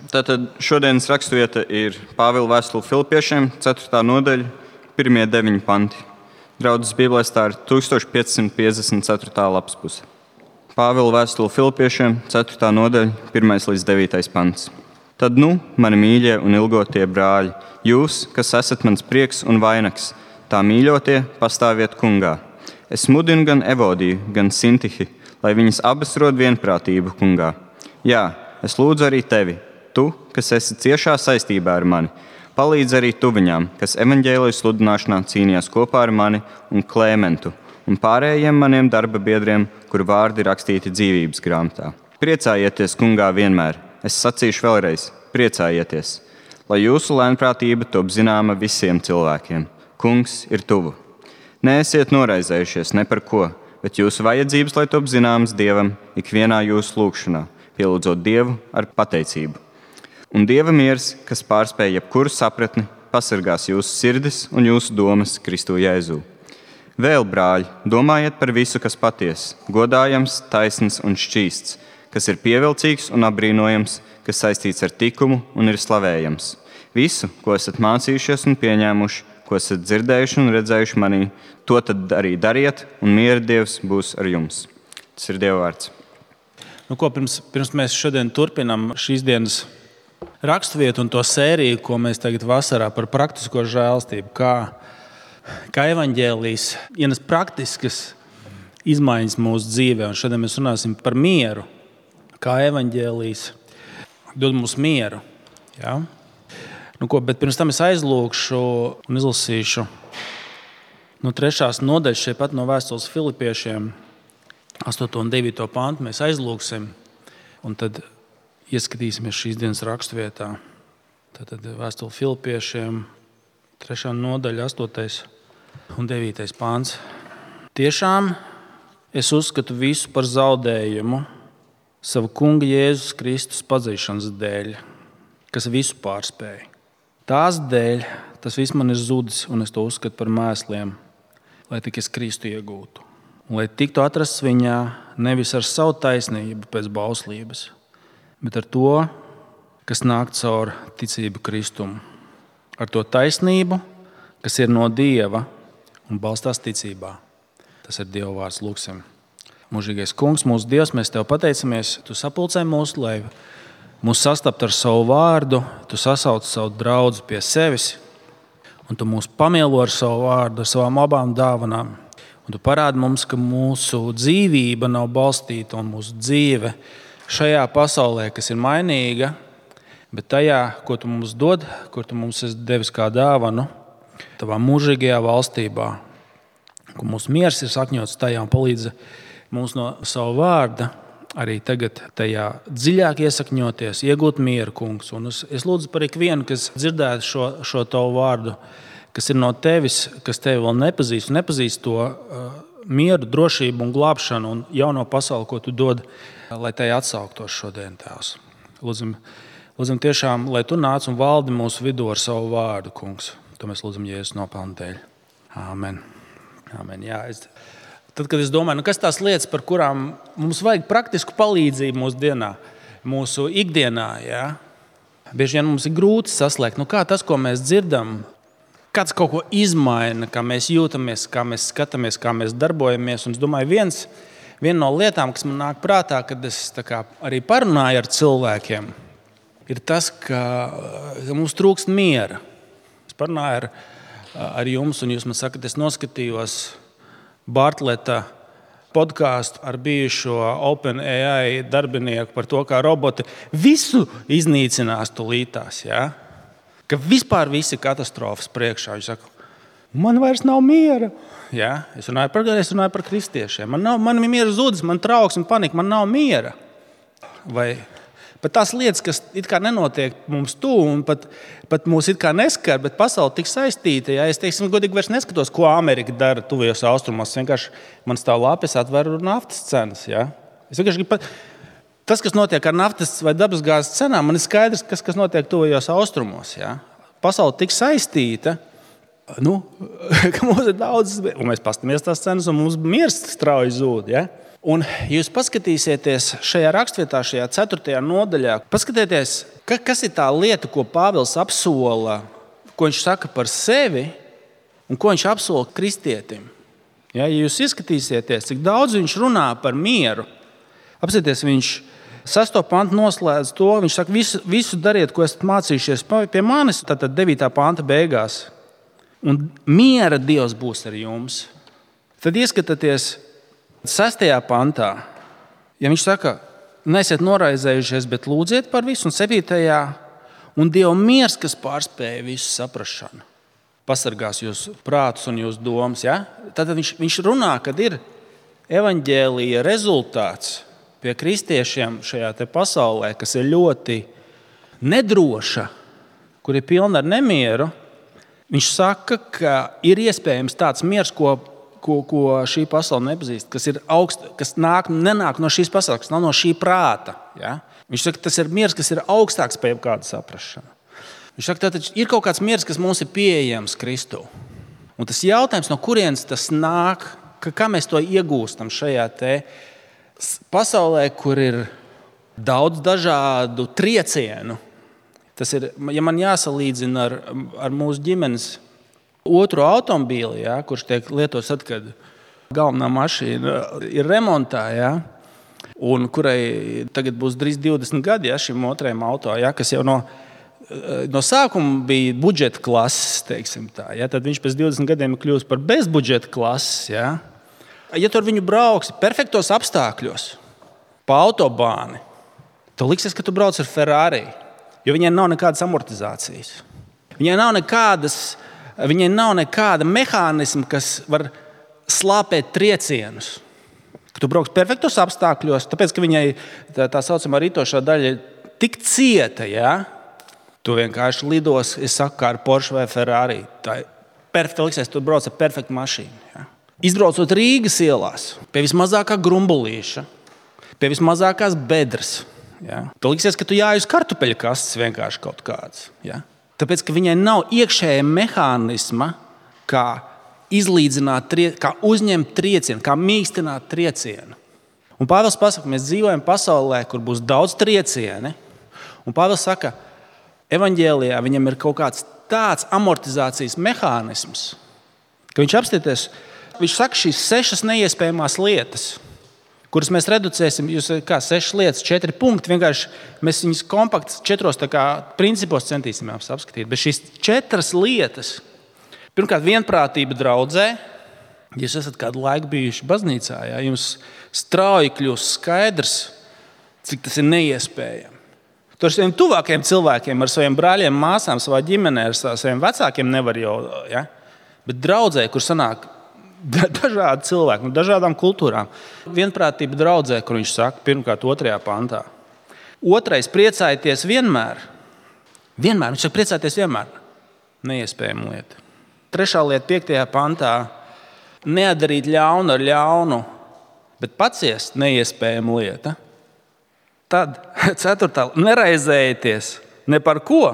Tātad šodienas raksturvieta ir Pāvila vēstule Filipiešiem, 4. nodaļa, 1-9 panti. Draudzes Bībelēs tā ir 1554. lapas puse. Pāvila vēstule Filipiešiem, 4. nodaļa, 1-9 pants. Tad mani mīļie un ilgotie brāļi, jūs, kas esat mans prieks un vainags, tā mīļotie, pastāviet kungā. Es mudinu gan Evodiju, gan Sintihi, lai viņas abas rod vienprātību kungā. Jā, es lūdzu arī tevi, tu, kas esi ciešā saistībā ar mani, palīdz arī tu viņām, kas evaņģēlija sludināšanā cīnījās kopā ar mani un Klēmentu un pārējiem maniem darba biedriem, kuru vārdi rakstīti dzīvības grāmatā. Priecājieties kungā vienmēr. Es sacīšu vēlreiz, priecājieties, lai jūsu lēnprātība top zināma visiem cilvēkiem. Kungs ir tuvu. Neesiet noraizējušies ne par ko, bet jūsu vajadzības, lai top zināmas Dievam ikvienā jūsu lūgšanā, pielūdzot Dievu ar pateicību. Un Dieva miers, kas pārspēj jebkuru sapratni, pasargās jūsu sirdis un jūsu domas Kristu Jēzū. Vēl, brāļi, domājiet par visu, kas patiess, godājams, taisns un šķīsts, kas ir pievilcīgs un apbrīnojams, kas saistīts ar tikumu un ir slavējams. Visu, ko esat mācījušies un pieņēmuši, ko esat dzirdējuši un redzējuši manī, to tad arī dariet, un miera Dievs būs ar jums. Tas ir Dieva vārds. Pirms mēs šodien turpinām šīs dienas raksturvietu un to sēriju, ko mēs tagad vasarā par praktisko žēlstību, kā evaņģēlijs ienes praktiskas izmaiņas mūsu dzīvē. Un šodien mēs runāsim par mieru, kā evaņģēlijs dod mums mieru. Ja? Bet pirms tam es aizlūgšu un izlasīšu no 3. nodaļas šeit pat no vēstules Filipiešiem 8. un 9. pantu. Mēs aizlūgsim un tad ieskatīsimies šīs dienas raksturvietā. Tātad vēstule Filipiešiem 3. nodaļa 8. un 9. pants. Tiešām es uzskatu visu par zaudējumu savu kunga Jēzus Kristus pazīšanas dēļ, kas visu pārspēja. Tās dēļ tas viss man ir zudis, un es to uzskatu par mēsliem, lai tik es Kristu iegūtu. Un lai tiktu atrasts viņā nevis ar savu taisnību pēc bauslības, bet ar to, kas nāk caur ticību Kristumu. Ar to taisnību, kas ir no Dieva un balstās ticībā. Tas ir Dieva vārds, lūgsim. Mūžīgais kungs, mūsu Dievs, mēs tev pateicamies. Tu sapulcē mūs, lai mūs sastapt ar savu vārdu, tu sasauc savu draudzi pie sevis, un tu mūs pamielo ar savu vārdu, ar savām abām dāvanām. Un tu parādi mums, ka mūsu dzīvība nav balstīta un mūsu dzīve šajā pasaulē, kas ir mainīga, bet tajā, ko tu mums dod, kur tu mums esi devis kā dāvanu, tavā mūžīgajā valstībā, kur mūsu miers ir sakņots tajā un palīdz mums no savu vārda arī tagad tajā dziļāk iesakņoties, iegūt mieru, kungs. Un es lūdzu par ikvienu, kas dzirdētu šo tavu vārdu, kas ir no tevis, kas tevi vēl nepazīst to mieru, drošību un glābšanu un jauno pasauli, ko tu dod, lai tai atsauktos šodien, Tēvs. Lūdzam tiešām, lai tu nāc un valdi mūsu vidū ar savu vārdu, kungs. To mēs lūdzam Jēzus nopelnu dēļ. Āmen. Āmen. Jā, Tad, kad es domāju, kas tās lietas, par kurām mums vajag praktisku palīdzību mūsu ikdienā, ja? Bieži vien mums ir grūti saslēgt, kā tas, ko mēs dzirdam, kāds kaut ko izmaina, kā mēs jūtamies, kā mēs skatāmies, kā mēs darbojamies. Un es domāju, viena no lietām, kas man nāk prātā, kad es arī parunāju ar cilvēkiem, ir tas, ka mums trūkst miera. Es parunāju ar jums, un jūs man sakat, es noskatījos Bartleta podkāstu ar bijušo OpenAI darbinieku par to, kā roboti visu iznīcinās tūlītās. Ja? Ka vispār visi katastrofas priekšā. Viņš saka, man vairs nav miera. Ja? Es runāju par kristiešiem. Man ir miera zudis, man trauksme, panika, man nav miera. Vai pat tās lietas, kas it kā nenotiek mums tuvu un pat mūs it kā neskar, bet pasaule tik saistīta. Ja? Es godīgi vairs neskatos, ko Amerika dara tuvajos austrumos. Vienkārši man stāv lapes, atveru naftas cenas. Ja? Es vienkārši gribu tas, kas notiek ar naftas vai dabasgāzes cenām, man ir skaidrs, kas notiek tuvajos austrumos. Ja? Pasaule tik saistīta, ka mums ir daudz, un mēs pastamies tās cenas, un mums miers strauji zūd. Ja? Un jūs paskatīsieties šajā raksturvietā, šajā 4. nodaļā, paskatieties, Kas ir tā lieta, ko Pāvils apsola, ko viņš saka par sevi un ko viņš apsola kristietim? Ja jūs izskatīsieties, cik daudz viņš runā par mieru, apsieties, viņš 6. pantu noslēdz to, viņš saka, visu dariet, ko esat mācījušies pie manis, tātad 9. panta beigās. Un miera Dievs būs ar jums. Tad ieskatieties 6. pantā, ja viņš saka, neesiet noraizējušies, bet lūdziet par visu, un 7. un Dieva miers, kas pārspēja visu saprašanu, pasargās jūsu prātus un jūsu domas. Ja? Tad viņš runā, kad ir evaņģēlija rezultāts pie kristiešiem šajā te pasaulē, kas ir ļoti nedroša, kur ir pilna ar nemieru. Viņš saka, ka ir iespējams tāds miers, ko šī pasaule nepazīst, kas nenāk no šīs pasaules, kas nav no šī prāta. Ja? Viņš saka, tas ir miers, kas ir augstāks par jebkādu saprašanu. Viņš saka, ka ir kaut kāds miers, kas mums ir pieejams Kristū. Un tas jautājums, no kurienes tas nāk, kā mēs to iegūstam šajā te pasaulē, kur ir daudz dažādu triecienu. Tas ir, ja man jāsalīdzina ar mūsu ģimenes otru automobīli, ja, kurš tiek lietots tad, kad galvenā mašīna ir remontā, ja, un kurai tagad būs drīz 20 gadi, ja, šim otrajam auto, ja, kas jau no sākuma bija budžeta klases, teiksim tā, ja, tad viņš pēc 20 gadiem kļūst par bezbudžeta klases. Ja. Ja tu ar viņu brauksi perfektos apstākļos pa autobāni, tu liksies, ka tu brauc ar Ferrari, jo viņai nav nekādas amortizācijas. Viņai nav nekāda mehānisma, kas var slāpēt triecienus. Kad tu brauks perfektos apstākļos, tāpēc, ka viņai tā saucamā rītošā daļa ir tik cieta, ja, tu vienkārši lidos, es saku, kā ar Porsche vai Ferrari. Tā ir perfekta liksies, tu brauc ar perfektu mašīnu. Ja. Izbraucot Rīgas ielās, pie vismazākā grumbulīša, pie vismazākās bedres, ja, tu liksies, ka tu jāj uz kartupeļu kastes vienkārši kaut kāds. Ja. Tāpēc, ka viņai nav iekšējā mehānisma, kā izlīdzināt, kā uzņemt triecienu, kā mīkstināt triecienu. Un Pāvils pasaka, mēs dzīvojam pasaulē, kur būs daudz triecieni. Un Pāvils saka, evaņģēlijā viņam ir kaut kāds tāds amortizācijas mehānisms, ka viņš saka šīs 6 neiespējamās lietas, kuras mēs reducēsim, jūs kā 6 lietas, 4 punkti, vienkārši mēs viņus kompakts 4 principos centīsimies apskatīt. Bet šīs 4 lietas, pirmkārt, vienprātība draudzē, ja jūs esat kādu laiku bijuši baznīcā, ja, jums strauji kļūst skaidrs, cik tas ir neiespējami. Tu ar saviem tuvākajiem cilvēkiem, ar saviem brāļiem, māsām, savā ģimenē, ar saviem vecākiem nevar jau, ja? Bet draudzē, kur sanāk dažādi cilvēki, no dažādām kultūrām. Vienprātība draudzē, kur viņš saka, pirmkārt, 2. pantā. 2. priecājieties vienmēr. Vienmēr, viņš saka, priecājieties vienmēr. Neiespējama lieta. 3. lieta, 5. pantā. Nedarīt ļaunu ar ļaunu, bet paciest neiespējama lieta. Tad 4. neraizējieties ne par ko.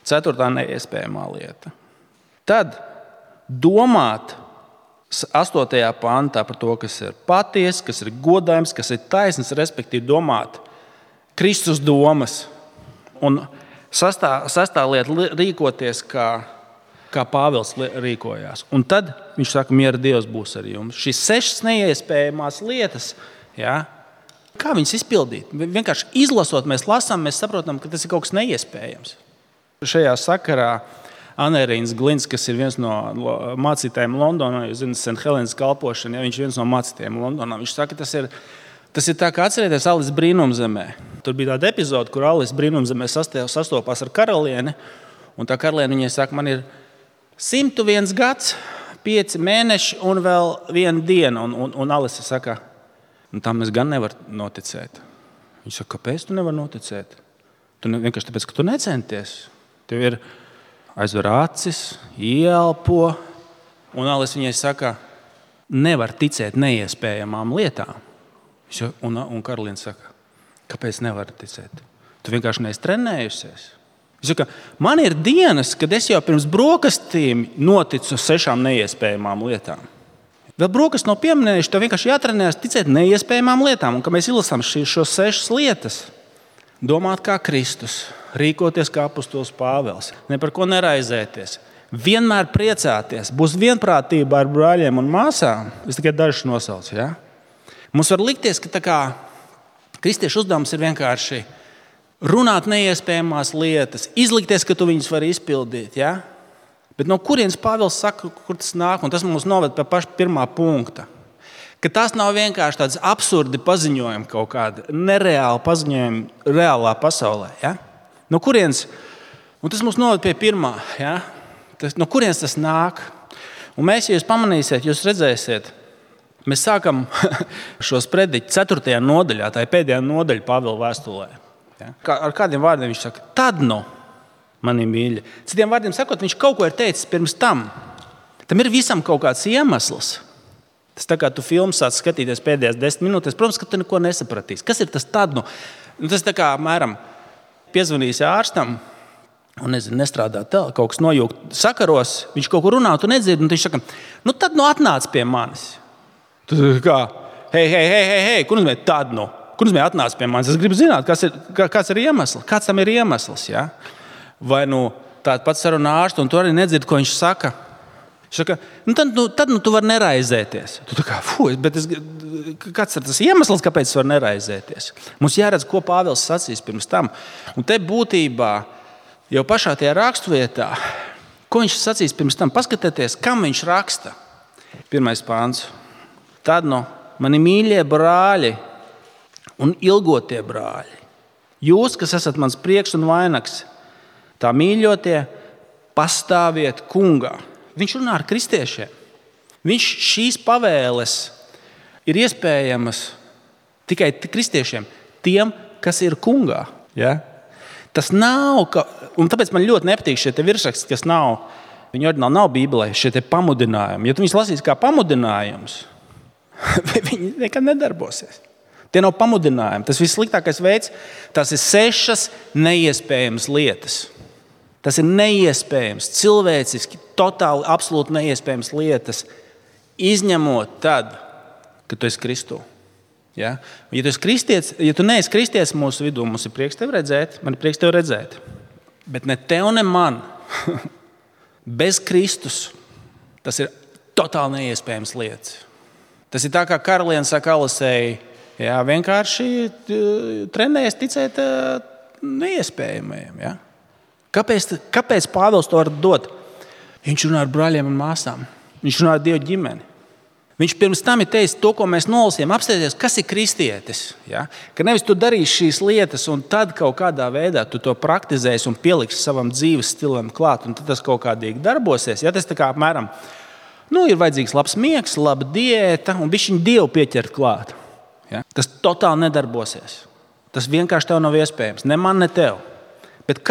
4. neiespējamā lieta. Tad domāt 8. pantā par to, kas ir patiesa, kas ir godājams, kas ir taisns, respektīvi domāt Kristus domas. Un 6. lieta rīkoties, kā Pāvils rīkojās. Un tad viņš saka, miera Dievs būs ar jums. Šīs 6 neiespējamās lietas, ja, kā viņas izpildīt? Vienkārši izlasot, mēs lasām, mēs saprotam, ka tas ir kaut kas neiespējams. Šajā sakarā Anērīns Glins, kas ir viens no mācītājiem Londonā, jūs zināt, St. Helēnas kalpošana, ja viņš ir viens no mācītājiem Londonā. Viņš saka, tas ir tā, kā atcerieties Alises brīnumzemē. Tur bija tāda epizode, kur Alises brīnumzemē sastopās ar karalieni, un tā karaliene viņai saka, man ir 101 gads, 5 mēneši un vēl 1 diena. Un Alise saka, tam es gan nevaru noticēt. Viņš saka, kāpēc tu nevari noticēt? Vienkārši tāpēc, ka tu necenties. Tev ir aizver acis, ieelpo, un Alise viņai saka, nevar ticēt neiespējamām lietām. Un karaliene saka, kāpēc nevar ticēt? Tu vienkārši neesi trenējusies. Viņš saka, man ir dienas, kad es jau pirms brokastīm noticu 6 neiespējamām lietām. Vēl brokastu nav pieminējuši, tev vienkārši jātrenējas ticēt neiespējamām lietām. Un, kad mēs izlasām šos 6 lietas, domāt kā Kristus, rīkoties kā apostols Pāvils, ne par ko neraizēties, vienmēr priecāties, būs vienprātība ar brāļiem un māsām. Es tikai dažus nosaucu. Ja? Mums var likties, ka tā kā kristiešu uzdevums ir vienkārši runāt neiespējamās lietas, izlikties, ka tu viņus vari izpildīt. Ja? Bet no kurienes Pāvils saka, kur tas nāk? Un tas mums noved pie paša pirmā punkta. Ka tas nav vienkārši tāds absurdi paziņojumi, kaut kādi nereāli paziņojumi reālā pasaulē. Ja? No kurienes? Un tas mums noved pie pirmā. Ja? No kurienes tas nāk? Un mēs, ja jūs pamanīsiet, jūs redzēsiet, mēs sākam šos prediķus 4. nodaļā, tā ir pēdējā nodaļa Pāvila vēstulē. Ja? Ar kādiem vārdiem viņš saka? Tad nu, mani mīļi. Citiem vārdiem sakot, viņš kaut ko ir teicis pirms tam. Tam ir visam kaut kāds iemesls. Tas tā kā tu filmu sāc skatīties pēdējās 10 minūtēs, protams, ka tu neko nesapratīsi. Kas ir tas tad? Nu, tas tā kā mēram piezvanīs ārstam un nestrādā kaut kas nojūgt sakaros, viņš kaut ko runā, tu nedzirdi, un viņš saka, nu tad atnāc pie manis. Tu kā, hei, kur nozīmē tad nu? Kur nozīmē atnāc pie manis? Es gribu zināt, kāds ir iemesls, kāds tam ir iemesls, ja? Vai tāds pats sarunā ārstu, un tu arī nedzirdi, ko viņš saka. Viņš saka, tad tu vari neraizēties. Tu tā kā, kāds ir tas iemesls, kāpēc tu vari neraizēties? Mums jāredz, ko Pāvils sacīs pirms tam. Un te būtībā, jau pašā tajā raksturvietā, ko viņš sacīs pirms tam, paskatieties, kam viņš raksta. 1. pāns. Tad mani mīļie brāļi un ilgotie brāļi, jūs, kas esat mans prieks un vainags, tā mīļotie, pastāviet kungā. Viņš runā ar kristiešiem. Šīs pavēles ir iespējamas tikai kristiešiem, tiem, kas ir kungā. Ja? Tas nav, un tāpēc man ļoti nepatīk šie virsraksti, kas nav, viņi oriģināli nav Bībelē, šie pamudinājumi. Ja tu viņus lasīsi kā pamudinājumus, viņi nekad nedarbosies. Tie nav pamudinājumi. Tas vissliktākais veids, tas ir 6 neiespējamas lietas. Tas ir neiespējams, cilvēciski, totāli, absolūti neiespējams lietas, izņemot tad, kad tu esi Kristū. Ja? Ja tu esi kristietis, ja tu neesi kristietis mūsu vidū, mums ir prieks tevi redzēt, man ir prieks tevi redzēt. Bet ne tev, ne man, bez Kristus, tas ir totāli neiespējams lietas. Tas ir tā, kā karaliene saka Alisei, jā, vienkārši trenējies ticēt neiespējamajiem. Ja? Kāpēc Pāvils to var dot? Viņš runā ar brāļiem un māsām. Viņš runā ar Dievu ģimeni. Viņš pirms tam ir teicis to, ko mēs nolasījām. Apstāties, kas ir kristietis. Ja? Ka nevis tu darīsi šīs lietas, un tad kaut kādā veidā tu to praktizēsi un pieliksi savam dzīves stilam klāt, un tad tas kaut kādīgi darbosies. Ja? Tas tā kā apmēram, ir vajadzīgs labs miegs, laba diēta, un bišķiņ Dievu pieķert klāt. Ja? Tas totāli nedarbosies. Tas vienkārši tev nav iespējams. Ne man, ne tev. Bet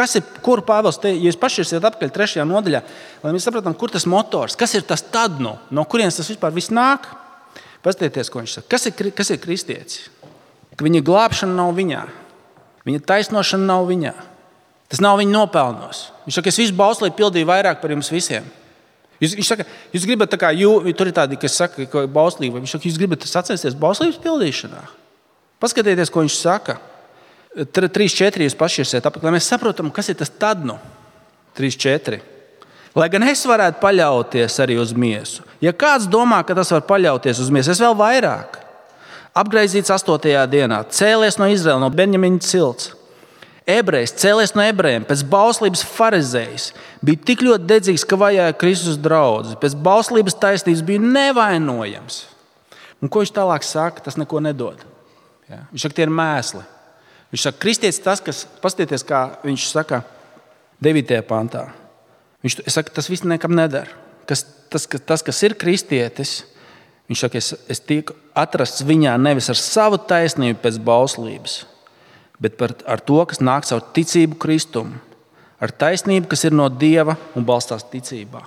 kur Pāvils te, ja jūs pašķirsiet atpakaļ 3. nodaļā, lai mēs sapratam, kur tas motors, kas ir tas tad, no kurienes tas vispār viss nāk? Paskatieties, ko viņš saka. Kas ir kristietis? Ka viņa glābšana nav viņā. Viņa taisnošana nav viņā. Tas nav viņa nopelnos. Viņš saka, es visu bauslību pildīju vairāk par jums visiem. Viņš saka, jūs gribat tā kā, tur ir tādi, kas saka, ka bauslība. Viņš saka, jūs gribat sacensties bauslības pildīšanā. Paskatieties, ko viņš saka. 3.4. jūs pašķirsiet apakaļ, lai mēs saprotam, kas ir tas tad. 3.4. Lai gan es varētu paļauties arī uz miesu. Ja kāds domā, ka tas var paļauties uz miesu, es vēl vairāk. Apgraizīts 8. dienā, cēlies no Izraela, no Benjamina cilts. Ebrejs, cēlies no ebrejiem, pēc bauslības farizējs. Bija tik ļoti dedzīgs, ka vajāja Kristus draudzes. Pēc bauslības taisnības bija nevainojams. Un ko viņš tālāk saka, tas neko nedod. Ja? Viņš saka, tie ir mēsli. Viņš saka, kristietis tas, kas, paskatieties, kā viņš saka 9. pantā. Viņš saka, tas viss nekam nedara. Tas, kas ir kristietis, viņš saka, es tiek atrasts viņā nevis ar savu taisnību pēc bauslības, bet ar to, kas nāk caur ticību Kristumu, ar taisnību, kas ir no Dieva un balstās ticībā.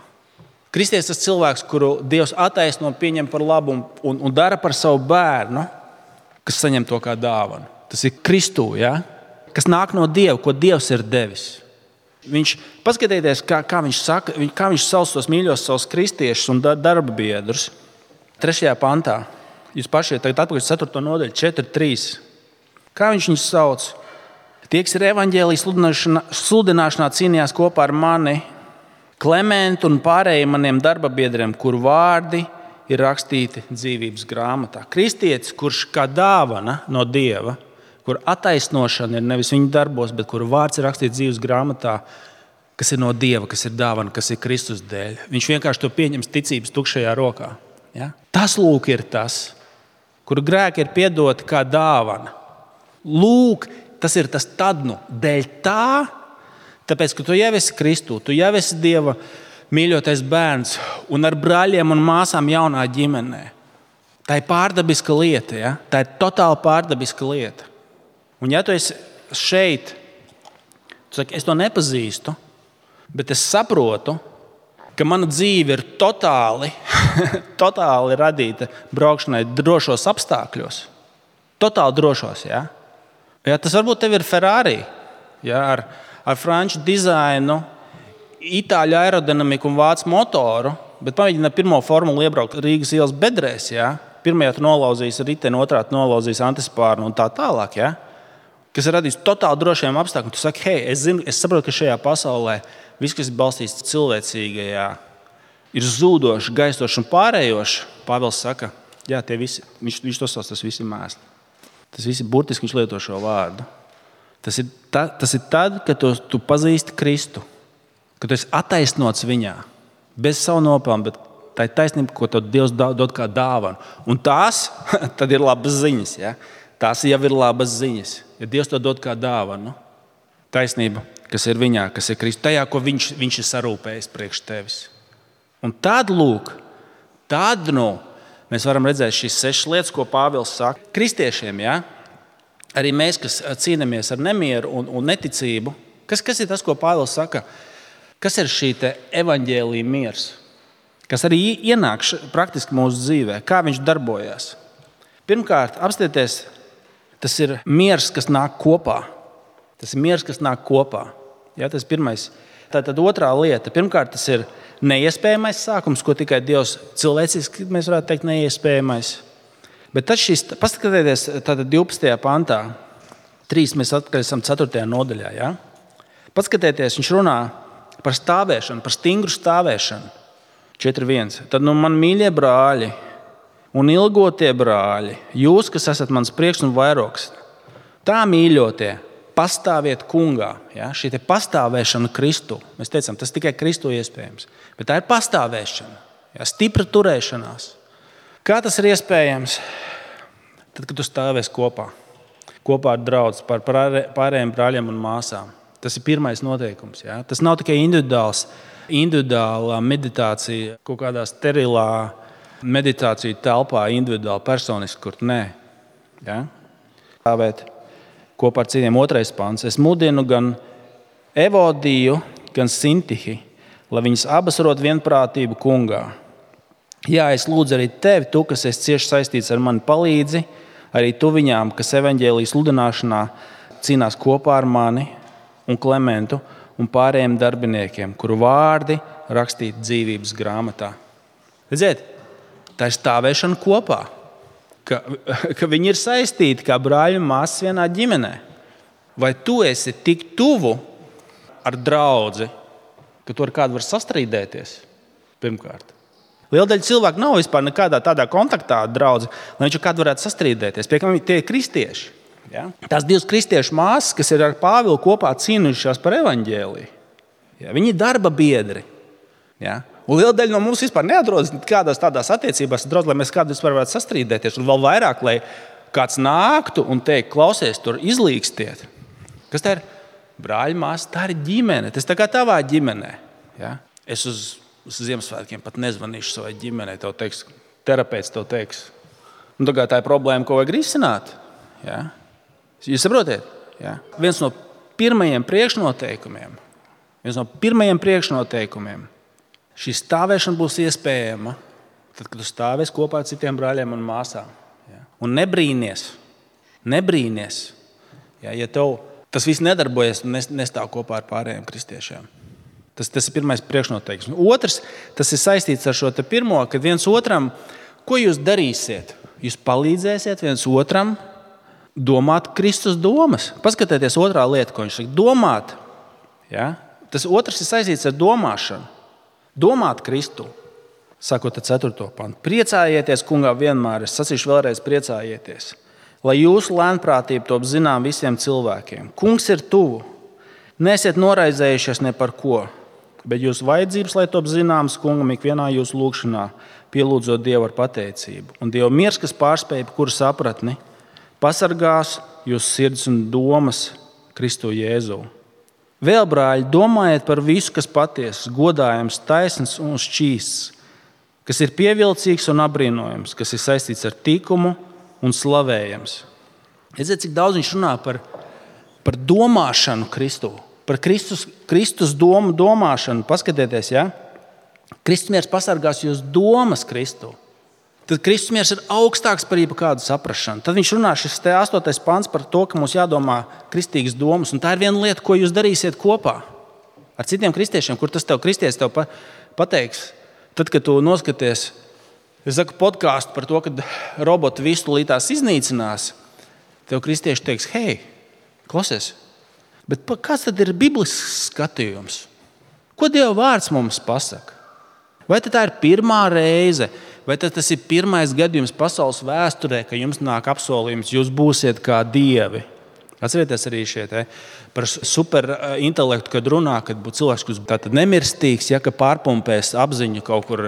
Kristietis tas cilvēks, kuru Dievs attaisno, pieņem par labu un dara par savu bērnu, kas saņem to kā dāvanu. Tas ir Kristū, ja? Kas nāk no Dieva, ko Dievs ir devis. Paskatieties, kā viņš saka, kā viņš sauc tos mīļos savus kristiešus un darba biedrus. 3. pantā. Jūs paši tagad atpakaļ 4. nodaļu, 4.3. Kā viņš viņus sauc? Tie, kas ir evaņģēlijas sludināšanā cīnījās kopā ar mani, Klementu un pārējiem maniem darbabiedriem, kuru vārdi ir rakstīti dzīvības grāmatā. Kristietis, kurš kā dāvana no Dieva, kur attaisnošana ir nevis viņa darbos, bet kuru vārds ir rakstīts dzīvības grāmatā, kas ir no Dieva, kas ir dāvana, kas ir Kristus dēļ. Viņš vienkārši to pieņems ticības tukšajā rokā. Ja? Tas lūk ir tas, kuru grēki ir piedoti kā dāvana. Lūk, tas ir tas tad nu dēļ tā, tāpēc, ka tu jau esi Kristū, tu jau esi Dieva mīļotais bērns un ar brāļiem un māsām jaunā ģimenē. Tā ir pārdabiska lieta, ja? Tā ir totāli pārdabiska lieta. Un ja tu esi šeit, tu saki, es to nepazīstu, bet es saprotu, ka mana dzīve ir totāli radīta braukšanai drošos apstākļos. Totāli drošos, ja? Ja, tas varbūt tev ir Ferrari, ja? Ar franču dizainu, itāļu aerodinamiku un vācu motoru, bet pamēģini ar pirmo formulu iebraukt Rīgas ielas bedrēs. Ja? Pirmajā tu nolauzīs riteni, otrā tu nolauzīs antispārnu un tā tālāk. Ja? Kas ir radījis totāli drošiem apstākļiem. Tu saki, hei, es saprotu, ka šajā pasaulē viss, kas ir balstīts cilvēcīgajā, ir zūdoši, gaistoši un pārējoši. Pāvils saka, jā, viņš to sauc, tas viss ir mēsli. Tas viss ir burtiski, viņš lieto šo vārdu. Tas ir tad, kad tu pazīsti Kristu, kad tu esi attaisnots viņā, bez savu nopelnu, bet tā ir taisnība, ko tev Dievs dod kā dāvanu. Un tās tad ir labas ziņas. Ja? Tās jau ir labas ziņas, ja Dievs to dod kā dāvanu. Taisnība, kas ir viņā, kas ir Kristu, tajā, ko viņš ir sarūpējis priekš tevis. Un tad, lūk, mēs varam redzēt šīs 6 lietas, ko Pāvils saka. Kristiešiem, ja? Arī mēs, kas cīnāmies ar nemieru un neticību, kas ir tas, ko Pāvils saka? Kas ir šī evaņģēlija miers? Kas arī ienāk praktiski mūsu dzīvē? Kā viņš darbojas? Pirmkārt, apstieties, tas ir miers, kas nāk kopā. Tas ir miers, kas nāk kopā. Ja, tas ir pirmais. Tātad otrā lieta. Pirmkārt, tas ir neiespējamais sākums, ko tikai Dievs cilvēciski, mēs varētu teikt, neiespējamais. Bet tad paskatieties, tātad 12. pantā, 3 mēs atkal esam 4. nodaļā. Ja? Paskatieties, viņš runā par stāvēšanu, par stingru stāvēšanu. 4.1. Tad man mīļie brāļi un ilgotie brāļi, jūs, kas esat mans prieks un vairogs, tā mīļotie, pastāviet kungā. Ja? Šī pastāvēšana Kristu, mēs teicām, tas tikai Kristu iespējams, bet tā ir pastāvēšana, ja? Stipra turēšanās. Kā tas ir iespējams? Tad, kad tu stāvēsi kopā ar draudzi, par pārējiem brāļiem un māsām. Tas ir pirmais noteikums. Ja? Tas nav tikai individuālā meditācija, kaut kādā sterilā meditācija telpā, individuāli, personiski, kur nē. Ja? Stāvēt kopā ar citiem. 2. pants. Es mudinu gan Evodiju, gan Sintihi, lai viņas abas rod vienprātību kungā. Jā, es lūdzu arī tevi, tu, kas esi cieši saistīts ar mani, palīdzi, arī tu viņām, kas evaņģēlijas sludināšanā cīnās kopā ar mani un Klementu un pārējiem darbiniekiem, kuru vārdi rakstīti dzīvības grāmatā. Redziet, tā ir stāvēšana kopā, ka viņi ir saistīti kā brāļi un māsas vienā ģimenē. Vai tu esi tik tuvu ar draudzi, ka tu ar kādu var sastrīdēties? Pirmkārt. Liela daļa cilvēku nav vispār nekādā tādā kontaktā ar draudzi, lai viņš ar kādu varētu sastrīdēties. Piemēram, tie ir kristieši. Ja? Tās 2 kristiešu māsas, kas ir ar Pāvilu kopā cīnījušās par evaņģēliju. Ja? Viņi ir darba biedri. Ja? Un liela daļa no mums vispār neatrodas kādās tādās attiecībās, lai mēs kādu vispār varētu sastrīdēties. Un vēl vairāk, lai kāds nāktu un teikt, klausies, tur izlīkstiet. Kas tā ir? Brāļi, māsas, tā ir ģimene. Tas tā kā tavā ģimenē. Ja? Es uz Ziemassvētkiem pat nezvanīšu savai ģimenei. Tev teiks, terapeits tev teiks. Un tā ir problēma, ko vajag risināt. Ja? Jūs saprotiet? Ja? Viens no pirmajiem priekšnoteikumiem. Šī stāvēšana būs iespējama, tad, kad tu stāvēsi kopā ar citiem brāļiem un māsām. Ja? Un nebrīnies. Ja tev tas viss nedarbojas un nestāv kopā ar pārējiem kristiešiem. Tas ir pirmais priekšnoteikums. Otrs, tas ir saistīts ar šo pirmo, kad viens otram, ko jūs darīsiet? Jūs palīdzēsiet viens otram domāt Kristus domas. Paskatieties otrā lieta, ko viņš saka. Domāt. Ja? Tas otrs ir saistīts ar domāšanu. Domāt Kristu. Sakot ar 4. pantu. Priecājieties, kungā, vienmēr. Es sacīšu vēlreiz, priecājieties. Lai jūsu lēnprātība top zinām visiem cilvēkiem. Kungs ir tuvu. Neesiet noraizējušies ne par ko, bet jūsu vajadzības, lai top zināmas kungam ikvienā jūsu lūgšanā, pielūdzot Dievu ar pateicību. Un Dieva miers, kas pārspēj kuru sapratni, pasargās jūsu sirds un domas Kristu Jēzu. Vēl, brāļi, domājiet par visu, kas patiesas, godājams, taisns un šķīsts, kas ir pievilcīgs un apbrīnojams, kas ir saistīts ar tikumu un slavējams. Redziet, cik daudz viņš runā par domāšanu Kristu, par Kristus domu domāšanu. Paskatieties, ja? Kristus miers pasargās jūsu domas Kristu. Tad Kristus miers ir augstāks par jebkādu saprašanu. Tad viņš runā šis 8. pants par to, ka mums jādomā kristīgas domas. Un tā ir viena lieta, ko jūs darīsiet kopā ar citiem kristiešiem, kur tas tev kristietis tev pateiks. Tad, kad tu noskaties, es saku podkāstu par to, ka roboti visu tūlītās iznīcinās, tev kristieši teiks, hei, klausies, bet kāds tad ir biblisks skatījums? Ko Dieva vārds mums pasaka? Vai tā ir pirmā reize, vai tas ir pirmais gadījums pasaules vēsturē, ka jums nāk apsolījums, jūs būsiet kā dievi? Atcerieties arī šeit par superintelektu, kad runā, kad būtu cilvēks, kurš tātad nemirstīgs, ja, ka pārpumpēs apziņu kaut kur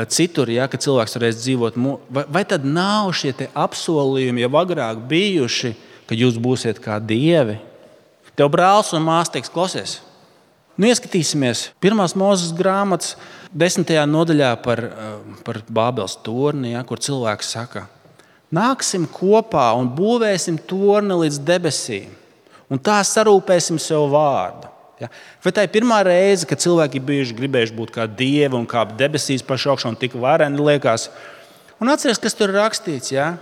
citur, ja, ka cilvēks varēs dzīvot. Vai tad nav šie apsolījumi jau agrāk bijuši, ka jūs būsiet kā dievi? Tev brālis un māsa teiks, klausies, ieskatīsimies 1. Mūzes grāmatas 10. nodaļā par Bābeles torni, ja, kur cilvēks saka, nāksim kopā un būvēsim torni līdz debesīm, un tā sarūpēsim sev vārdu. Ja? Vai tā ir pirmā reize, kad cilvēki bijuši gribējuši būt kā dievi un kā debesīs pašā augšā un tik vareni liekas? Un atceries, kas tur ir rakstīts. Ja?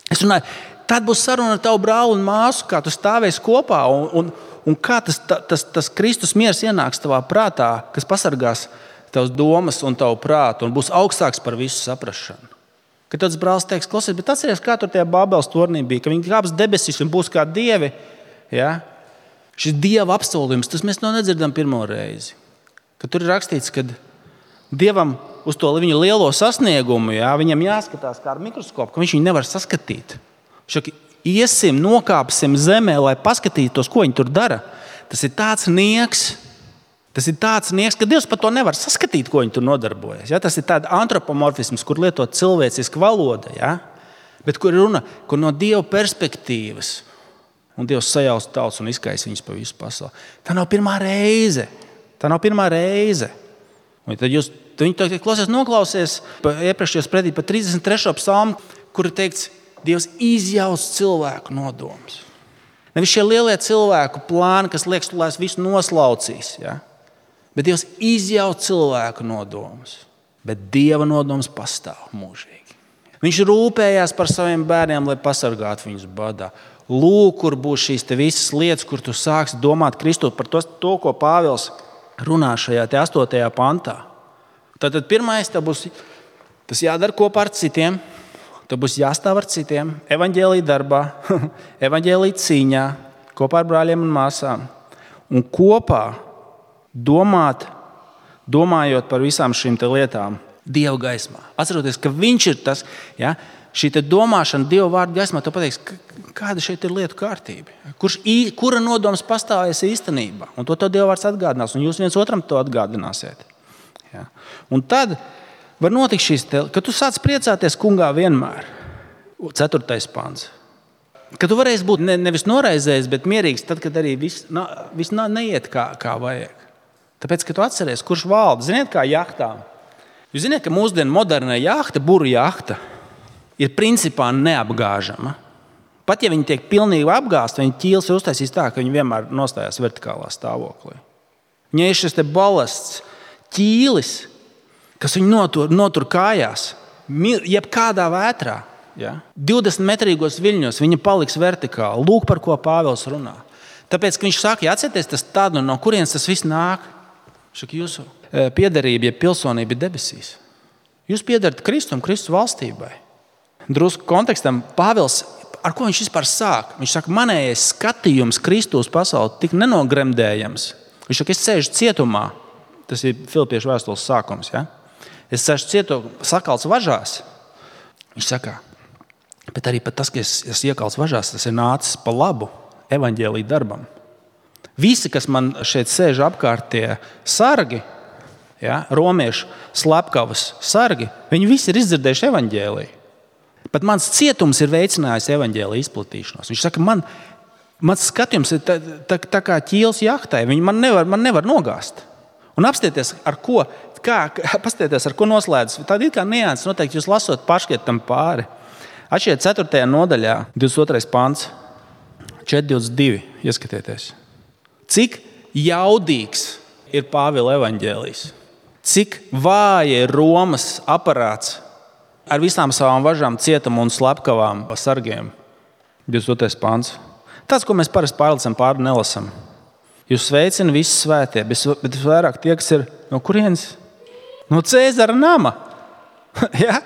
Es runāju, tad būs saruna ar tavu brāli un māsu, kā tu stāvēsi kopā un kā tas Kristus miers ienāks tavā prātā, kas pasargās tavas domas un tavu prātu un būs augstāks par visu saprašanu. Kad tāds brālis teiks, klausies, bet atceries, kā tur tajā Bābeles tornī bija, ka viņi kāps debesīs un būs kā dievi. Ja? Šis dieva apsolījums, tas mēs nedzirdam pirmo reizi. Kad tur ir rakstīts, ka Dievam uz to viņa lielo sasniegumu, ja, viņam jāskatās kā ar mikroskopu, ka viņš viņu nevar saskatīt. Šaki, iesim, nokāpsim zemē, lai paskatītos, ko viņi tur dara. Tas ir tāds nieks, ka Dievs pat to nevar saskatīt, ko viņi tur nodarbojas. Ja? Tas ir tāds antropomorfisms, kur lietot cilvēciska valoda, ja? Bet kur runa, kur no Dieva perspektīvas, un Dievs sajauc tautas un izkaisa viņus pa visu pasauli. Tā nav pirmā reize. Un tad viņi klausies, noklausies iepriekšējos pretī pa 33. psalmu, kur ir teikts, Dievs izjauc cilvēku nodomus. Nevis šie lielie cilvēku plāni, kas liekas, lai visu noslaucīs, ja? Bet Dievs izjauc cilvēku nodomus. Bet Dieva nodoms pastāv mūžīgi. Viņš rūpējās par saviem bērniem, lai pasargātu viņus badā. Lūk, kur būs šīs visas lietas, kur tu sāksi domāt Kristu par to, ko Pāvils runā šajā 8. pantā. Tātad pirmais, tas jādara kopā ar citiem. Tev būs jāstāv ar citiem, evaņģēlī darbā, evaņģēlī cīņā, kopā ar brāļiem un māsām. Un kopā domājot par visām šīm lietām Dieva gaismā. Atceroties, ka viņš ir tas, ja, šī domāšana Dieva vārdu gaismā, tu pateiks, kāda šeit ir lietu kārtība. Kura nodoms pastāvēs īstenībā. Un to Dieva vārds atgādinās, un jūs viens otram to atgādināsiet. Ja. Un tad var notikt šīs, ka tu sāc priecāties kungā vienmēr. 4. pants. Ka tu varēsi būt nevis noraizējis, bet mierīgs, tad, kad arī viss neiet kā vajag. Tāpēc, ka tu atceries, kurš valda. Ziniet, kā jahtām. Jūs ziniet, ka mūsdienu modernā jahta, buru jahta, ir principā neapgāžama. Pat ja viņi tiek pilnīgi apgāzti, viņi ķīles ir uztaisīs tā, ka viņi vienmēr nostājās vertikālā stāvoklī. Viņai ir šis balasts, ķīlis, kas viņu notur kājās, jebkādā vētrā. Ja? 20-metrīgos viļņos viņa paliks vertikāli. Lūk, par ko Pāvils runā. Tāpēc, ka viņš saka, atcerieties, tas tādu, no kurienes tas viss nāk. Šaka, jūsu piederība, ja pilsonība ir debesīs. Jūs piederat Kristum, Kristus valstībai. Drusku kontekstam Pāvils ar ko viņš vispār sāk? Viņš saka, manējais skatījums Kristus pasauli tik nenogremdējams. Viņš saka, es sēžu cietumā. Tas ir Filipiešu vēstules sākums. Ja? Es sēžu cietumā, sakalts važās. Viņš saka, bet arī pat tas, ka es iekalts važās, tas ir nācis pa labu evaņģēlija darbam. Visi, kas man šeit sēž apkārt tie sargi, ja, romiešu slepkavas sargi, viņi visi ir izdzirdējuši evaņģēliju. Pat mans cietums ir veicinājis evaņģēlija izplatīšanos. Viņš saka, mans skatījums ir tā kā ķīls jahtai. Viņi man nevar nogāzt. Un apstieties, ar ko noslēdzas. Tāda ir kā nianses, noteikti jūs lasot paškiet tam pāri. Atšķiet 4. nodaļā, 22. pants, 4.22. Ieskatieties. Cik jaudīgs ir Pāvila evaņģēlijs. Cik vāja ir Romas aparāts ar visām savām važām, cietumu un slepkavām sargiem. 22. pants. Tas, ko mēs parasti pārlicam pāri, nelasam. Jūs sveicina visi svētie, bet vairāk tie, kas ir no kurienes? No Cēzara nama. Ja?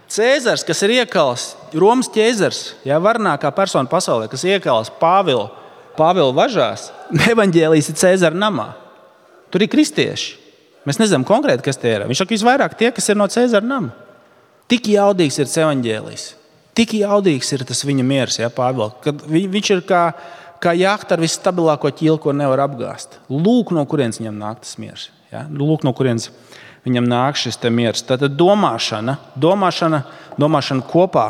Cēzars, kas ir iekalis, Romas ķēzars, ja, varnākā persona pasaulē, kas iekalis Pāvila važās, evaņģēlijs ir Cēzara namā. Tur ir kristieši. Mēs nezinām konkrēti, kas tie ir. Viņš saka, visvairāk tie, kas ir no Cēzara nama. Tik jaudīgs ir evaņģēlijs. Tik jaudīgs ir tas viņa miers, ja, Pāvila. Kad viņš ir kā jahta ar visstabilāko ķīlu, ko nevar apgāzt. Lūk, no kurienes viņam nāk tas miers. Ja? Lūk, no kurienes viņam nāk šis te miers. Tātad domāšana kopā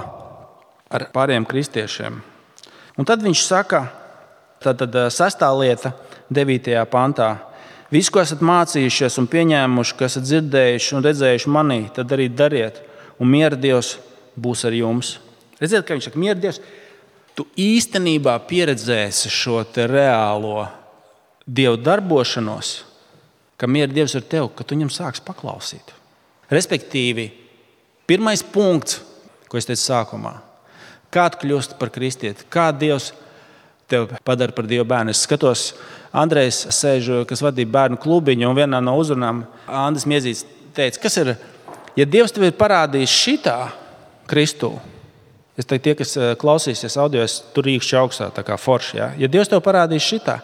ar pārējiem kristiešiem. Un tad viņš saka, tātad 6. lieta, 9. pantā. Visu, ko esat mācījušies un pieņēmuši, ko esat dzirdējuši un redzējuši manī, tad arī dariet. Un miera Dievs būs ar jums. Redziet, ka viņš saka, miera Dievs, tu īstenībā pieredzēsi šo te reālo Dievu darbošanos, ka miera Dievs ir tev, ka tu viņam sāks paklausīt. Respektīvi, pirmais punkts, ko es teicu sākumā, kā tu kļūsti par kristieti, kā Dievs tev padara par Dievu bērnu. Es skatos, Andrejs sēž, kas vadīja bērnu klubiņu, un vienā no uzrunām Andris Miezīts teica, kas ir, ja Dievs tev ir parādījis šitā Kristū, es teiktu, tie, kas klausīsies audio, es tur īkšķi augstā, tā kā forši. Ja? Ja Dievs tev parādījis šitā,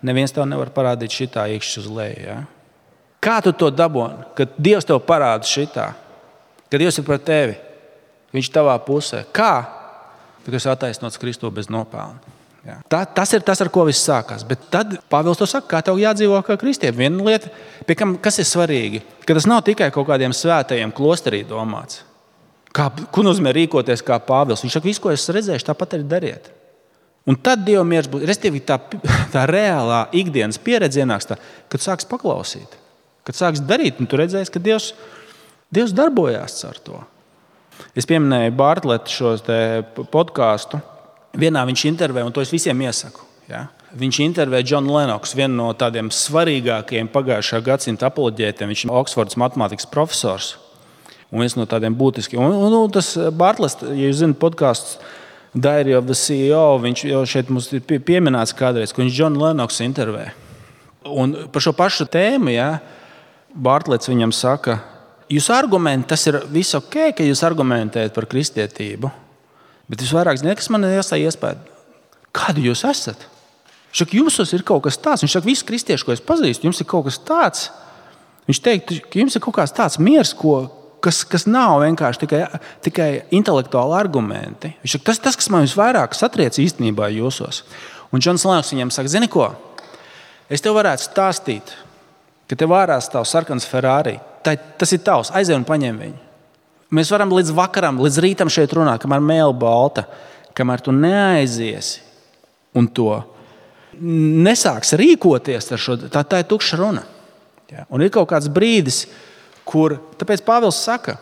neviens tev nevar parādīt šitā īkšķi uz leju. Ja? Kā tu to daboni, kad Dievs tev parāda šitā, kad Dievs ir par tevi, viņš tavā pusē? Kā? Kad esi attaisnots Kristū bez nopelna. Ja? Tas ir tas, ar ko viss sākās. Bet tad Pāvils to saka, kā tev jādzīvo kā kristietim. Viena lieta, pie kam, kas ir svarīgi, ka tas nav tikai kaut kādiem svētajiem klosterī domāts. Ko nozīmē rīkoties kā Pāvils? Viņš saka, visu, ko esat redzējuši, tāpat arī dariet. Un tad Dieva miers būs, respektīvi tā reālā ikdienas pieredze ienāks tā, kad sāks paklausīt, kad sāks darīt, un tu redzēsi, ka Dievs darbojās ar to. Es pieminēju Bartletu šo podkāstu. Vienā viņš intervē, un to es visiem iesaku. Ja? Viņš intervē Johnu Lenoksu, vienu no tādiem svarīgākajiem pagājušā gadsimta apoloģētiem. Viņš ir Oksfordas matemātikas profesors. Un viens no tādiem būtiskiem. Un tas Bartlets, ja jūs zināt podkāsts Diary of the CEO, viņš jau šeit mums ir pieminēts kādreiz, ko viņš Johnu Lenoksu intervē. Un par šo pašu tēmu, ja, Bartlets viņam saka, jūs argumenti, tas ir viss ok, ka jūs argumentējat par kristietību, bet visvairāk, kas man iestāja iespēju, kādu jūs esat? Viņš saka, jums ir kaut kas tāds. Viņš saka, visi kristieši, ko es pazīstu, jums ir kaut kas tāds. Viņš teikt, ka jums ir kaut kāds tāds miers, kas nav vienkārši tikai intelektuāli argumenti. Viņš saka, tas, kas man visvairāk satriec īstenībā jūsos. Un Džons Lennoks viņam saka, zini ko, es tev varētu stāstīt, ka tev ārā stāv sarkans Ferrari. Tas ir tavs, aizej un paņem viņu. Mēs varam līdz vakaram, līdz rītam šeit runāt, kamēr mēle balta, kamēr tu neaiziesi un to nesāks rīkoties ar šo, tā ir tukša runa. Ja? Un ir kaut kāds brīdis, kur, tāpēc Pāvils saka,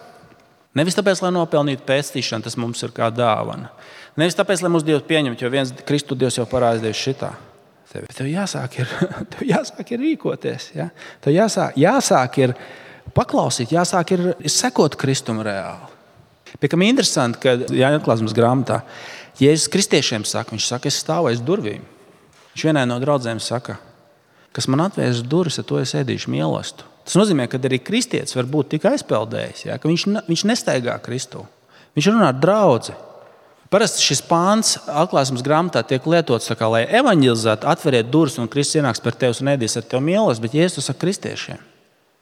nevis tāpēc, lai nopelnītu pēctīšanu, tas mums ir kā dāvana. Nevis tāpēc, lai mūs Dievs pieņemt, jo viens Kristu Dievs jau parādījis šitā. Tev jāsāk ir rīkoties. Ja? Tev jāsāk ir paklausīt, jāsāk ir sekot Kristum reāli. Pie kam interesanti, ka Jāņa atklāsmes grāmatā Jēzus kristiešiem saka, viņš saka, es stāvu aiz durvīm. Viņš vienai no draudzēm saka, kas man atvērs durvis, to es ēdīšu mīlestību. Tas nozīmē, ka arī kristietis var būt tik aizpeldējis, ja, ka viņš nestaigā Kristu. Viņš runā ar draudzi. Parasti šis pāns atklāsmes grāmatā tiek lietots, kā, lai evanģelizētu, atveriet durvis un Kristus ienāks par tevi un ēdīs ar tevi mīlestību, bet Jēzus saka kristiešiem.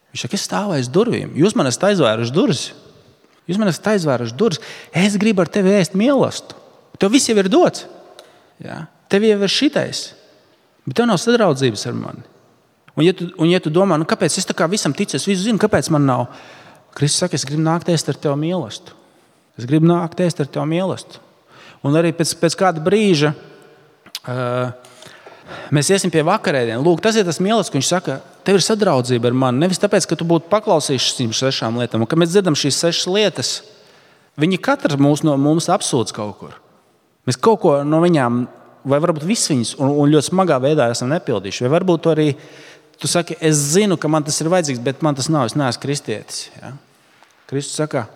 Viņš saka, es stāvu aiz durvīm. Jūs man esat aizvēruši durvis. Es gribu ar tevi ēst mīlestību. Tev viss jau ir dots. Ja? Tev jau ir šitais. Bet tev nav sadraudzības ar mani. Un ja tu domā, kāpēc es tā kā visam ticu, es visu zinu, kāpēc man nav. Kristus saka, es gribu nākt ēst ar tevi mīlestību. Un arī pēc kāda brīža mēs iesim pie vakarēdienas. Lūk, tas ir tas mīlestības, ka viņš saka, tev ir sadraudzība ar mani. Nevis tāpēc, ka tu būtu paklausījis šīm 6 lietām. Un, kad mēs dzirdam šīs 6 lietas, viņi katrs no mums apsūdz kaut kur. Mēs kaut ko no viņām, vai varbūt viss viņas, un ļoti smagā veidā esam nepildījuši. Vai varbūt arī tu saki, es zinu, ka man tas ir vajadzīgs, bet man tas nav, es neesmu kristietis. Ja? Kristus saka,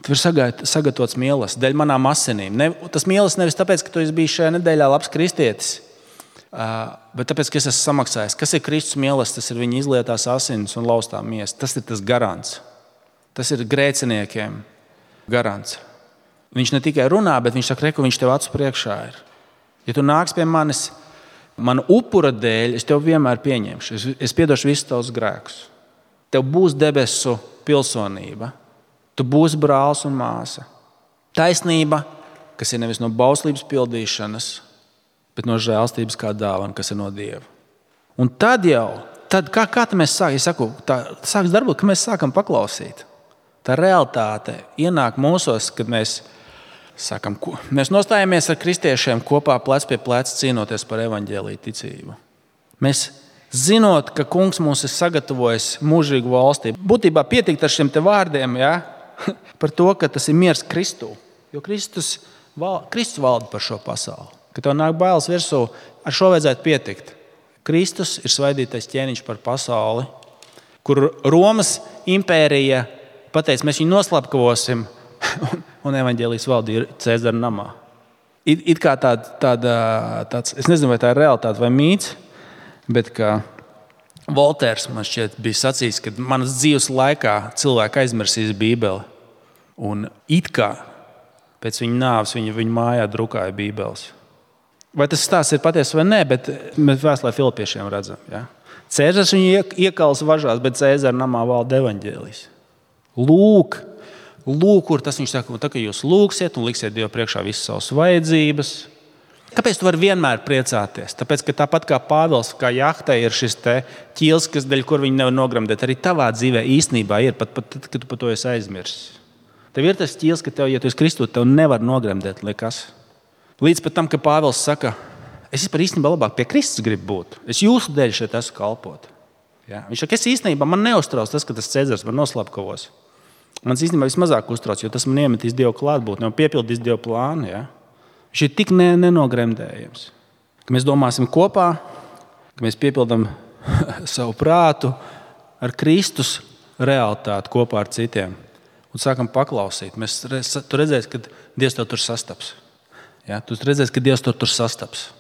tev ir sagatavots mīlestības dēļ manām asinīm. Tas mīlestības nevis tāpēc, ka tu biji šajā nedēļā labs kristietis, bet tāpēc, ka es esmu samaksājis. Kas ir Kristus mīlestības? Tas ir viņa izlietās asinis un laustā miesa. Tas ir tas garants. Tas ir grēciniekiem garants. Viņš ne tikai runā, bet viņš saka, ka viņš tev acu priekšā ir. Ja tu nāks pie manis, mana upura dēļ, es tev vienmēr pieņemšu. Es piedošu visus tavus grēkus. Tev būs debesu pilsonība. Tu būsi brālis un māsa. Taisnība, kas ir nevis no bauslības pildīšanas, bet no žēlstības kā dāvana, kas ir no Dieva. Un tad kā mēs sākam? Es saku, tā sāks darbot, ka mēs sākam paklausīt. Tā realitāte ienāk mūsos, kad mēs nostājamies ar kristiešiem kopā plec pie pleca cīnoties par evaņģēliju ticību. Mēs zinot, ka Kungs mums ir sagatavojis mūžīgu valstību. Būtībā pietikt ar šiem te vārdiem, ja? Par to, ka tas ir miers Kristū. Jo Kristus valda par šo pasauli. Kad tev nāk bailes virsū, ar šo vajadzētu pietikt. Kristus ir svaidītais ķēniņš par pasauli, kur Romas impērija pateica, mēs viņu noslapkavosim, un evaņģēlijas valdīja Cēzara namā. It kā tāds, es nezinu, vai tā ir realitāte vai mīts, bet kā Voltērs man šķiet bija sacījis, ka manas dzīves laikā cilvēki aizmirsīs Bībeli. Un it kā pēc viņa nāves viņa mājā drukāja Bībeles. Vai tas stāsts ir patiesa vai nē, bet mēs vēstulē Filipiešiem redzam. Ja? Cēzars viņu iekals važās, bet Cēzara namā valda evaņģēlijs. Lūk, kur tas viņš saka, tā, ka jūs lūgsiet un liksiet Dievu priekšā visas savas vajadzības. Kāpēc tu vari vienmēr priecāties? Tāpēc, ka tāpat kā Pāvils, kā jahtai ir šis ķīls, dēļ kur viņi nevar nogremdēt, arī tavā dzīvē īstenībā ir, pat kad tu par to esi aizmirsis. Tev ir tas ķīls, ka ja tu esi Kristus, tev nevar nogremdēt nekas. Līdz pat tam, ka Pāvils saka, es par īstenībā labāk pie Kristus gribu būt. Es jūsu dēļ šeit esmu kalpot. Ja? Viņš saka, es īstenībā man neuztrauc tas, ka tas Cēzars man noslapkavos. Man īstenībā vismazāk uztrauc, jo tas man iemetīs Dieva klātbūtni un piepildīs Dieva plānu. Ja? Viņš ir tik nenogremdējams, ka mēs domāsim kopā, ka mēs piepildām savu prātu ar Kristus realitāti kopā ar citiem un sākam paklausīt. Tu redzēsi, ka Dievs tev tur sastaps. Ja? Tu redzēsi, ka Dievs tev tur sastaps.